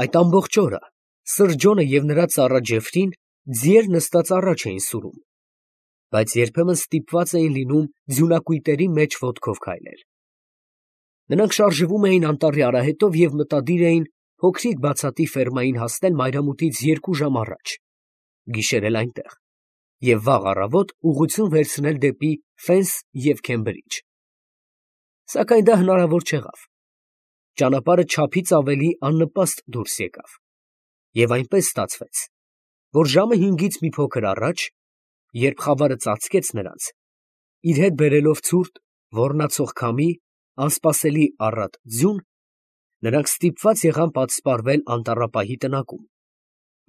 Այդ ամբողջ օրը Սրջոնը և նրա ծառա Ջեֆրին ձիեր նստած առաջ էին սուրում, բայց երբեմն ստիպված էին լինում ձյունակույտերի մեջ ոտքով քայլել։ Նրանք շարժվում էին անտառի արահետով և մտադիր էին փոքրիկ բացատի ֆերմային հասնել մայրամուտից 2 ժամ առաջ, գիշերել այնտեղ և վաղ առավոտ ուղղություն վերցնել դեպի Ֆենս և Քեմբրիջ։ Սակայն դա հնարավոր չեղավ։ Ճանապարհը չափից ավելի աննպաստ դուրս եկավ, և այնպես ստացվեց, որ ժամը 5-ից մի փոքր առաջ, երբ խավարը ծածկեց նրանց, իր հետ բերելով ցուրտ, ոռնացող քամի, անսպասելի առատ ձյուն, նրանք ստիպված եղան պատսպարվել անտառապահի տնակում,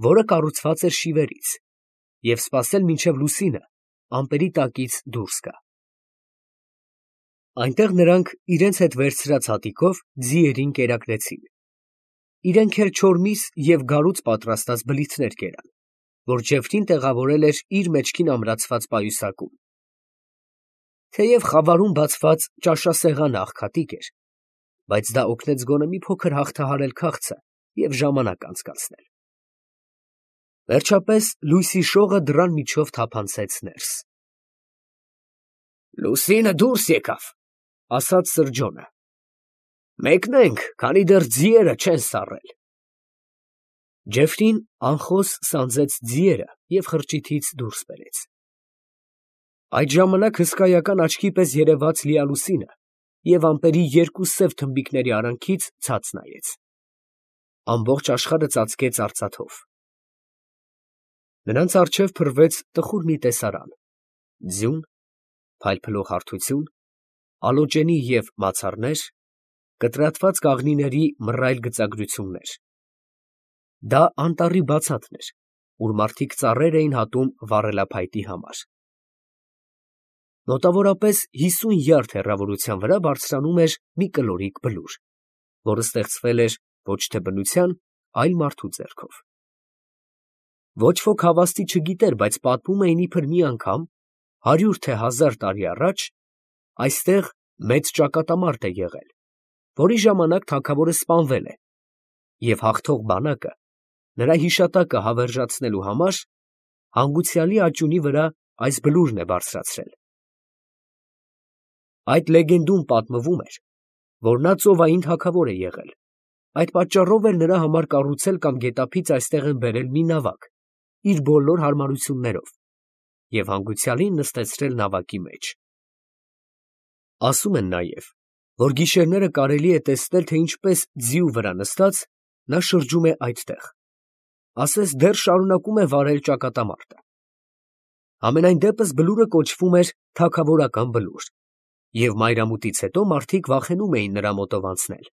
որը կառուցված էր շիվերից, և սպասել մինչև լուսինը ամպերի տակից դուրս գա։ Այնտեղ նրանք իրենց հետ վերցրած հատիկով ձիերին կերակրեցին։ Իրենք էլ չորմիս և գարուց պատրաստած բլիթներ կերան, որ Ջեֆրին տեղավորել էր իր մեջքին ամրացված պայուսակում։ Թեև խավարում բացված ճաշասեղանը աղքատիկ էր, բայց դա օգնեց գոնե մի փոքր հաղթահարել քաղցը և ժամանակ անցկացնել։ Վերջապես լույսի շողը դռան միջով թափանցեց ներս։ «Լուսինը դուրս եկավ», ֊ ասաց Սրջոնը։ «Մեկնենք, քանի դեռ ձիերը չեն սառել»։ Ջեֆրին անխոս սանձեց ձիերը և խրճիթից դուրս բերեց։ Այդ ժամանակ հսկայական աչքի պես երևաց լիալուսինը և ամպերի 2 սև թմբիկների արանքից ցած նայեց։ Ամբողջ աշխարհը ծածկեց արծաթով։ Նրանց առջև փռվեց տխուր մի տեսարան՝ ձյուն, փայլփլող հարթություն, ալոճենի և մացառներ, կտրատված կաղնիների մռայլ գծագրություններ։ Դա անտառի բացատն էր, ուր մարդիկ ծառեր էին հատում վառելափայտի համար։ Մոտավորապես 50 յարդ հեռավորության վրա բարձրանում էր մի կլորիկ բլուր, որը ստեղծվել էր ոչ թե բնության, այլ մարդու ձեռքով։ Ոչ ոք հավաստի չգիտեր, բայց պատմում էին, իբր մի անգամ 100 թե 1000 տարի առաջ այստեղ մեծ ճակատամարտ է եղել, որի ժամանակ թագավորը սպանվել է, և հաղթող բանակը նրա հիշատակը հավերժացնելու համար հանգուցյալի աճյունի վրա այս բլուրն է բարձրացրել։ Այդ լեգենդում պատմվում էր, որ նա ծովային թագավոր է եղել, այդ պատճառով էլ նրա համար կառուցել կամ գետափից այստեղ են բերել մի նավակ իր բոլոր հարմարություններով և հանգուցյալին նստեցրել նավակի մեջ։ Ասում են նաև, որ գիշերները կարելի է տեսնել, թե ինչպես ձիու վրա նստած նա շրջում է այդտեղ, ասես դեռ շարունակում է վարել ճակատամարտը։ Համենայն դեպս բլուրը կոչվում էր թագավորական բլուր, և մայրամուտից հետո մարդիկ վախենում էին նրա մոտով անցնել։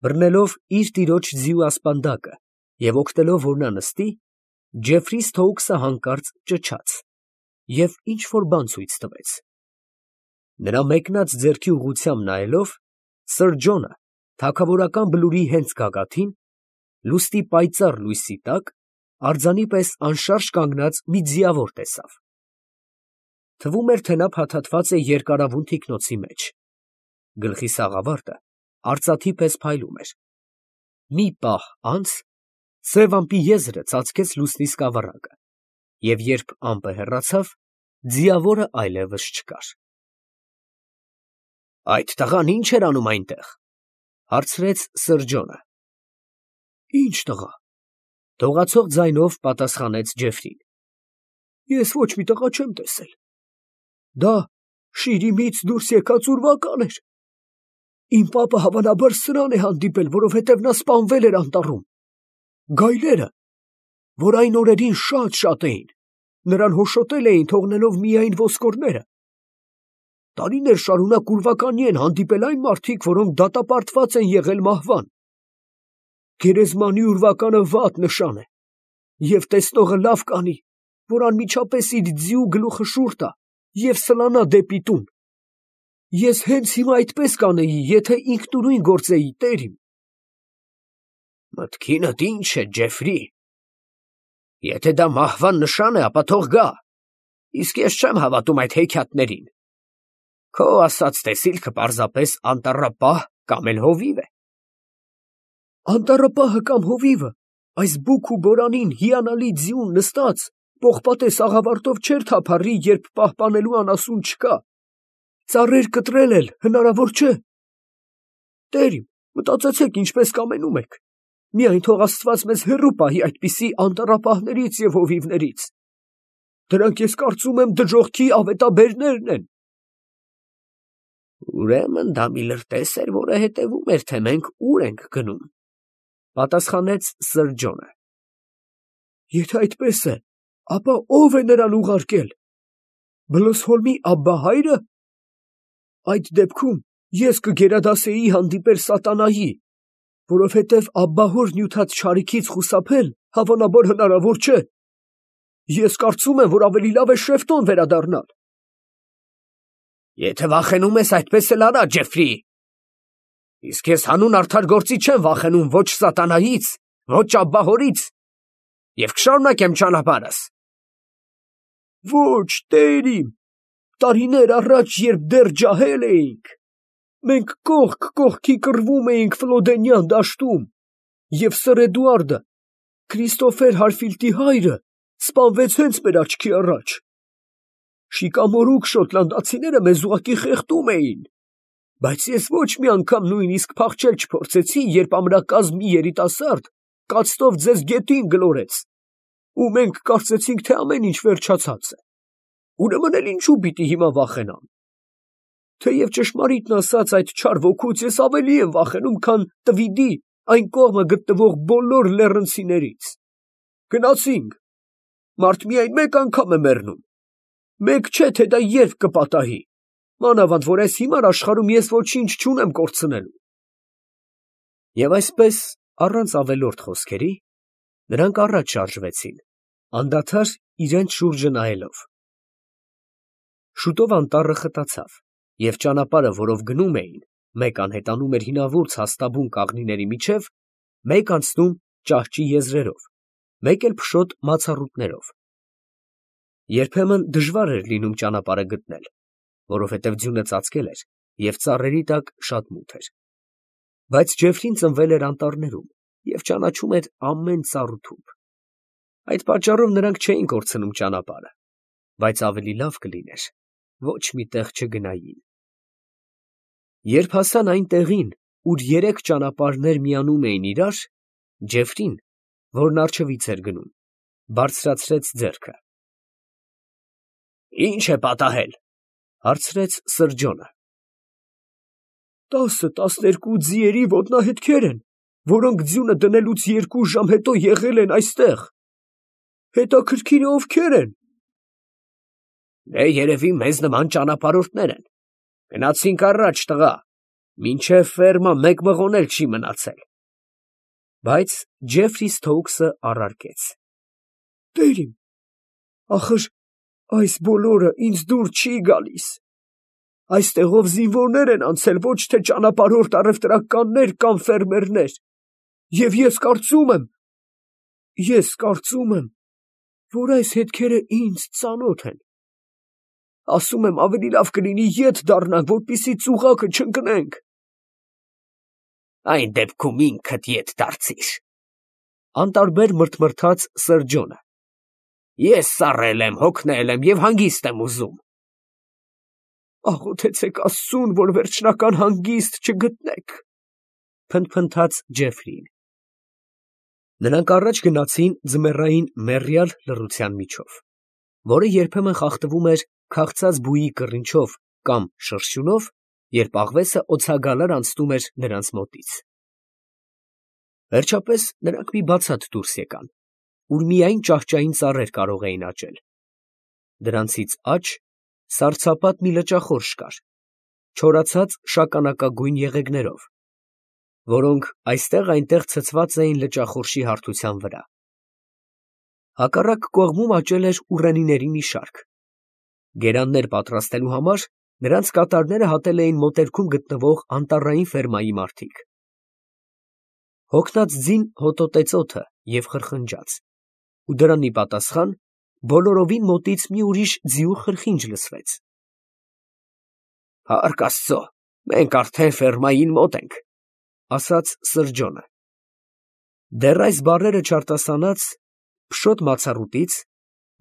Բռնելով իր տիրոջ ձիու ասպանդակը և օգնելով, որ նա նստի, Ջեֆրի Սթոուքսը հանկարծ ճչաց և ինչ֊որ բան ցույց տվեց։ Նրա մեկնած ձեռքի ուղղությամբ նայելով, Սրջոնը թագավորական բլուրի հենց գագաթին, լուսնի պայծառ լույսի տակ, արձանի պես անշարժ կանգնած մի ձիավոր տեսավ։ Թվում էր, թե նա փաթաթված է երկարավուն թիկնոցի մեջ։ Գլխի սաղավարտը արծաթի պես փայլում էր։ Մի պահ անց սև ամպի եզրը ծածկեց լուսնի սկավառակը, և երբ ամպը հեռացավ, ձիավորը այլևս չկար։ «Այդ տղան ի՞նչ էր անում այնտեղ», ֊ հարցրեց Սրջոնը։ «Ի՞նչ տղա», ֊ դողացող ձայնով պատասխանեց Ջեֆրին։ «Ես ոչ մի տղա չեմ տեսել։ Դա Շիրիմից դուրս եկած ուրվական էր։ Իմ պապը հավանաբար սրան է հանդիպել, որովհետև նա սպանվել էր անտառում։ Գայլերը, որ այն օրերին շատ էին, նրան հոշոտել էին, թողնելով միայն ոսկորները։ Տարիներ շարունակ ուրվականի են հանդիպել այն մարդիկ, որոնք դատապարտված են եղել մահվան։ Գերեզմանի ուրվականը վատ նշան է, և տեսնողը լավ կանի, որ անմիջապես իր ձիու գլուխը շուռ տա և սլանա դեպի տուն։ Ես հենց հիմա այդպես կանեի, եթե ինքնուրույն գործեի, տեր իմ»։ «Մտքինդ ի՞նչ է, Ջեֆրի։ Եթե դա մահվան նշան է, ապա թող գա, իսկ ես չեմ հավատում այդ հեքիաթներին։ Քո ասած տեսիլքը պարզապես անտառապահ կամ էլ հովիվ է»։ Անտառապահը կամ հովիվը այս բուք ու բորանին հիանալի ձիուն նստած պողպատե սաղավարտով չէր թափառի, երբ պահպանելու անասուն չկա, ծառեր կտրել էլ հնարավոր չէ։ Տեր իմ, մտածեցեք ինչպես կամենում եք, միայն թող Աստված մեզ հեռու պահի այդպիսի անտառապահներից և հովիվներից, դրանք ես կարծում եմ դժոխքի ավետաբերներն են։ Ուրեմն դա մի լրտես էր, որը հետևում էր, թե մենք ուր ենք գնում, պատասխանեց Սրջոնը։ Եթե այդպես է, ապա ո՞վ է նրան ուղարկել, Բլոսհոլմի աբբահա՞յրը։ Այդ դեպքում ես կգերադասեի հանդիպել սատանայի, որովհետև աբբահոր նյութած չարիքից խուսափել հավանաբար հնարավոր չէ։ Ես կարծում եմ, որ ավելի լավ է Շեֆտոն վերադառնալ։ Եթե վախենում ես, այդպես էլ արա, Ջեֆրի։ Իսկ ես հանուն արդար գործի չեմ վախենում ոչ սատանայից, ոչ աբբահորից, և կշարունակեմ ճանապարհս։ Ոչ, Տեր իմ, տարիներ առաջ, երբ դեռ ջահել էինք, մենք կողք կողքի կռվում էինք Ֆլոդենյան դաշտում, և Սր Էդուարդը, Քրիստոֆեր Հարֆիլդի հայրը, սպանվեց հենց մեր աչքի առաջ։ Շիկամորուք շոտլանդացիները մեզ ուղղակի խեղդում էին, բայց ես ոչ մի անգամ նույնիսկ փախչել չփորձեցի, երբ ամրակազմ մի երիտասարդ կացտով ձեզ գետին գլորեց, ու մենք կարծեցինք, թե ամեն ինչ վերջացած է։ Ուրեմն էլ ինչու պիտի հիմա վախենամ։ Թեև ճշմարիտն ասած, այդ չար ոգուց ես ավելի եմ վախենում, քան տվիդի այն կողմը գտնվող բոլոր լեռնցիներից։ Գնացինք։ Մարդ միայն մեկ անգամ է մեռնում։ Մեկ չէ, թե դա երբ կպատահի, մանավանդ որ այս հիմար աշխարհում ես ոչինչ չունեմ կորցնելու։ Եվ այսպես, առանց ավելորդ խոսքերի, նրանք առաջ շարժվեցին, անդադար իրենց շուրջը նայելով։ Շուտով անտառը խտացավ, և ճանապարհը, որով գնում էին, մեկ անհետանում էր հինավուրց հաստաբուն կաղնիների միջև, մեկ անցնում ճահճի եզրերով, մեկ էլ փշոտ մացառուտներով։ Երբեմն դժվար էր լինում ճանապարհը գտնել, որովհետև ձյունը ծածկել էր, և ծառերի տակ շատ մութ էր։ Բայց Ջեֆրին ծնվել էր անտառներում և ճանաչում էր ամեն ծառ ու թուփ։ Այդ պատճառով նրանք չէին կորցնում ճանապարհը, բայց ավելի լավ կլիներ ոչ մի տեղ չգնային։ Երբ հասան այն տեղին, ուր երեք ճանապարհներ միանում էին իրար, Ջեֆրին, որն առջևից էր գնում, բարձրացրեց ձեռքը։ Ի՞նչ է պատահել, հարցրեց Սրջոնը։ 10-12 ձիերի ոտնահետքեր են, որոնք ձյունը դնելուց 2 ժամ հետո եղել են այստեղ։ Հետաքրքիր է ովքեր են։ Դե երևի մեզ նման ճանապարհորդներ են։ Գնացինք առաջ, տղա, մինչև ֆերմա մեկ մղոն էլ չի մնացել։ Բայց Ջեֆրի Սթոուքսը առարկեց. Տեր իմ, ախր այս բոլորը ինձ դուր չի գալիս։ Այստեղով զինվորներ են անցել, ոչ թե ճանապարհորդ առևտրականներ կամ ֆերմերներ, և ես կարծում եմ, որ այս հետքերը ինձ ծանոթ են։ Ասում եմ, ավելի լավ կլինի ետ դառնանք, որպեսզի ծուղակը չընկնենք։ Այն դեպքում ինքդ ետ դարձիր, անտարբեր մրթմրթաց Սրջոնը։ Ես սառել եմ, հոգնել եմ և հանգիստ եմ ուզում։ Աղոթեցեք Աստծուն, որ վերջնական հանգիստ չգտնեք, փնթփնթաց Ջեֆրին։ Նրանք առաջ գնացին ձմեռային մեռյալ լռության միջով, որը երբեմն խախտվում էր քաղցած բույի կռինչով կամ շրշյունով, երբ աղվեսը օձագալար անցնում էր նրանց մոտից։ Վերջապես նրանք մի բացատ դուրս եկան, ուր միայն ճահճային ծառեր կարող էին աճել։ Դրանցից աջ սառցապատ մի լճախորշ կար, չորացած շագանակագույն եղեգներով, որոնք այստեղ-այնտեղ ցցված էին լճախորշի հարթության վրա։ Հակառակ կողմում աճել էր ուռենիների մի շարք։ Գերաններ պատրաստելու համար նրանց կատարները հատել էին մոտերքում գտնվող անտառային ֆերմայի մարդիկ։ Հոգնած ձին հոտոտեց օդը և խրխնջաց, ու դրան ի պատասխան բոլորովին մոտից մի ուրիշ ձիու խրխինջ լսվեց։ Փառք Աստծո, մենք արդեն ֆերմային մոտ ենք, ասաց Սրջոնը։ Դեռ այս բառերը չարտասանած, փշոտ մացառուտից,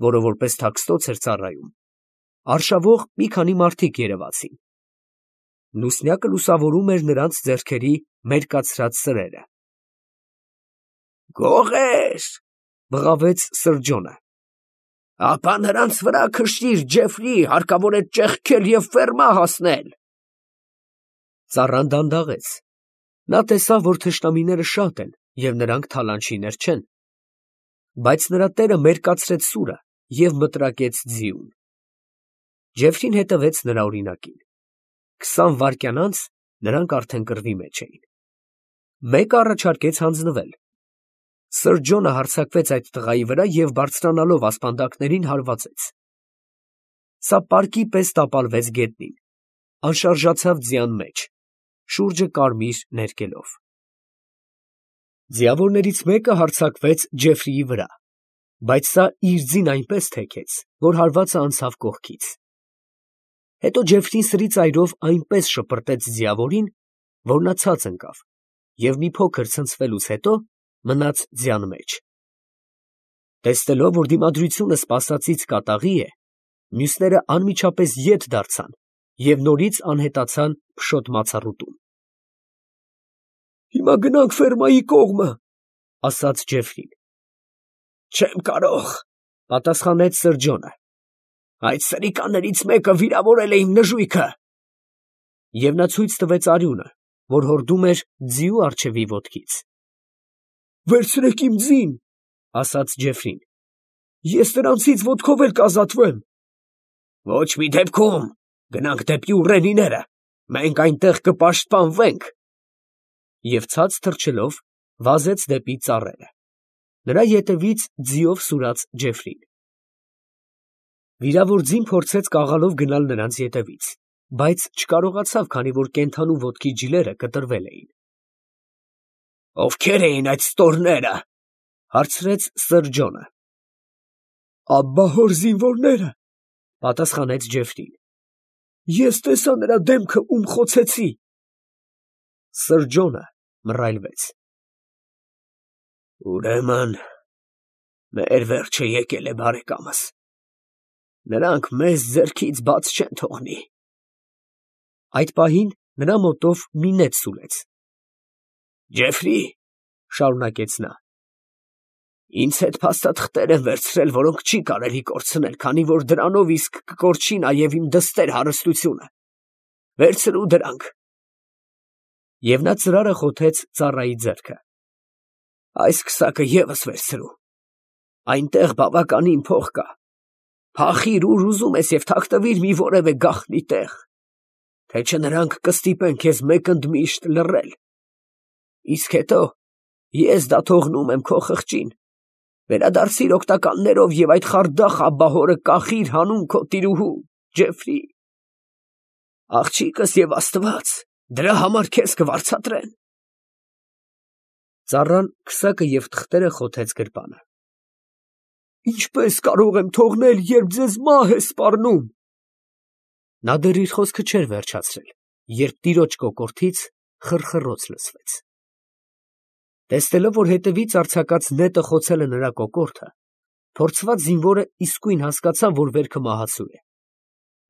որը որպես թաքստոց էր ծառայում, արշավող մի քանի մարդիկ երևացին։ Լուսնյակը լուսավորում էր նրանց ձեռքերի մերկացրած սրերը։ «Գողե՛ր», բղավեց Սրջոնը, «ապա նրանց վրա քշիր, Ջեֆրի, հարկավոր է ճեղքել և ֆերմա հասնել»։ Ծառան դանդաղեց. նա տեսավ, որ թշնամիները շատ են և նրանք թալանչիներ չեն, բայց նրա տերը մերկացրեց սուրը և մտրակեց ձիուն։ Ջեֆրին հետևեց նրա օրինակին։ 20 վայրկյան անց նրանք արդեն կռվի մեջ էին։ Մեկը առաջարկեց հանձնվել։ Սրջոնը հարձակվեց այդ տղայի վրա և բարձրանալով ասպանդակներին հարվածեց։ Սա պարկի պես տապալվեց գետնին, անշարժացավ ձյան մեջ, շուրջը կարմիր ներկելով։ Ձիավորներից մեկը հարձակվեց Ջեֆրիի վրա, բայց սա իր ձին այնպես թեքեց, որ հարվածը անցավ կողքից։ Հետո Ջեֆրին սրի ծայրով այնպես շպրտեց ձիավորին, որ նա ցած ընկավ և մի փոքր ցնցվելուց հետո մնաց ձյան մեջ։ Տեսնելով, որ դիմադրությունը սպասածից կատաղի է, մյուսները անմիջապես ետ դարձան և նորից անհետացան փշոտ մացառուտում։ «Հիմա գնանք ֆերմայի կողմը», ֊ ասաց Ջեֆրին։ «Չեմ կարող», ֊ պատասխանեց Սրջոնը, «այդ սրիկաներից մեկը վիրավորել է իմ նժույգը»։ Եվ նա ցույց տվեց արյունը, որ հորդում էր ձիու առջևի ոտքից։ «Վերցրեք իմ ձին», ֊ ասաց Ջեֆրին, «ես նրանցից ոտքով էլ կազատվեմ»։ «Ոչ մի դեպքում, գնանք դեպի ուռենիները, մենք այնտեղ կպաշտպանվենք»։ Եվ ցած թռչելով վազեց դեպի ծառերը, նրա ետևից ձիով սուրաց Ջեֆրին։ Վիրավոր ձին փորձեց կաղալով գնալ նրանց ետևից, բայց չկարողացավ, քանի որ կենդանու ոտքի ջլերը կտրվել էին։ «Ովքե՞ր էին այդ ստորները», ֊ հարցրեց Սրջոնը։ «Աբբահոր զինվորները», ֊ պատասխանեց Ջեֆրին։ «Ես տեսա նրա դեմքը, ում խոցեցի»։ Սրջոնը մռայլվեց։ «Ուրեմն մեր վերջը եկել է, բարեկամս, նրանք մեզ ձեռքից բաց չեն թողնի»։ Այդ պահին նրա մոտով մի նետ սուլեց։ «Ջեֆրի», ֊ շարունակեց նա, «ինձ հետ փաստաթղթեր են վերցրել, որոնք չի կարելի կորցնել, քանի որ դրանով իսկ կկորչի նաև իմ դստեր հարստությունը։ Վերցրու դրանք։ Եվ նա ծրարը խոթեց ծառայի ձեռքը։ «Այս քսակը ևս վերցրու, այնտեղ բավականին փող կա, փախիր ուր ուզում ես և թաքնվիր մի որևէ գաղտնի տեղ, թե չէ նրանք կստիպեն քեզ մեկընդմիշտ լռել։ Իսկ հետո ես դա թողնում եմ քո խղճին, վերադարձիր օգնականներով և այդ խարդախ աբբահորը կախիր հանուն քո տիրուհու, Ջեֆրի։ Աղջիկս և Աստված դրա համար քեզ կվարձատրեն»։ Ծառան քսակը և թղթերը խոթեց գրպանը։ «Ինչպե՞ս կարող եմ թողնել, երբ ձեզ մահ է սպառնում»։ Նա դեռ իր խոսքը չէր վերջացրել, երբ տիրոջ կոկորդից խռխռոց լսվեց։ Տեսնելով, որ հետևից արձակած նետը խոցել է նրա կոկորդը, փորձված զինվորը իսկույն հասկացավ, որ վերքը մահացու է։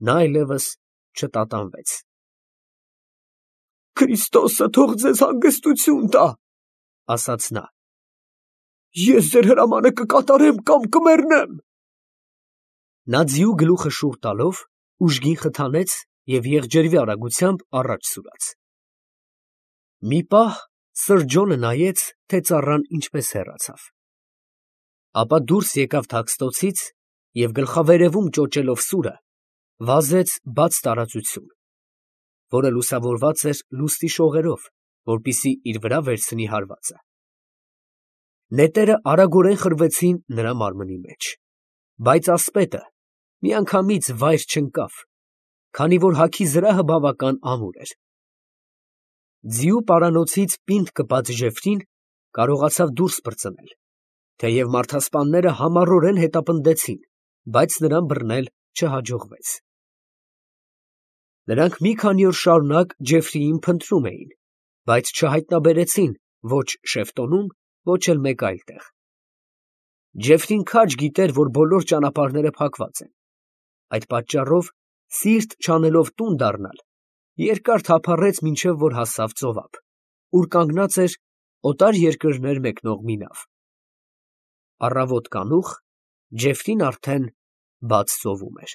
Նա այլևս չտատանվեց։ «Քրիստոսը թող ձեզ հանգստություն տա», ֊ ասաց նա։ «Ես ձեր հրամանը կկատարեմ կամ կմեռնեմ»։ Նա ձիու գլուխը շուռ տալով ուժգին խթանեց և եղջերվի արագությամբ առաջ սուրաց։ Մի պահ Սրջոնը նայեց, թե ծառան ինչպես հեռացավ։ Ապա դուրս եկավ թաքստոցից և գլխավերևում ճոճելով սուրը, վազեց բաց տարածություն, որը լուսավորված էր լուսնի շողերով, որպեսզի իր վրա վերցնի հարվածը։ Նետերը արագորեն խրվեցին նրա մարմնի մեջ, բայց ասպետը միանգամից վայր չընկավ, քանի որ հագի զրահը բավական ամուր էր։ Ձիու պարանոցից պինդ կպած Ջեֆրին կարողացավ դուրս պրծնել, թեև մարդասպանները համառորեն հետապնդեցին, բայց նրան բռնել չհաջողվեց։ Նրանք մի քանի օր շարունակ Ջեֆրիին փնտրում էին, բայց չհայտնաբերեցին ոչ Շեֆտոնում, Ոչ էլ մեկ այլ տեղ։ Ժեֆրին քաջ գիտեր, որ բոլոր ճանապարհները փակված են, այդ պատճառով, սիրտ չանելով տուն դառնալ, երկար թափառեց, մինչև որ հասավ ծովափ, ուր կանգնած էր օտար երկրներ մեկնող մի նավ։ Առավոտ կանուխ Ժեֆրին արդեն բաց ծովում էր։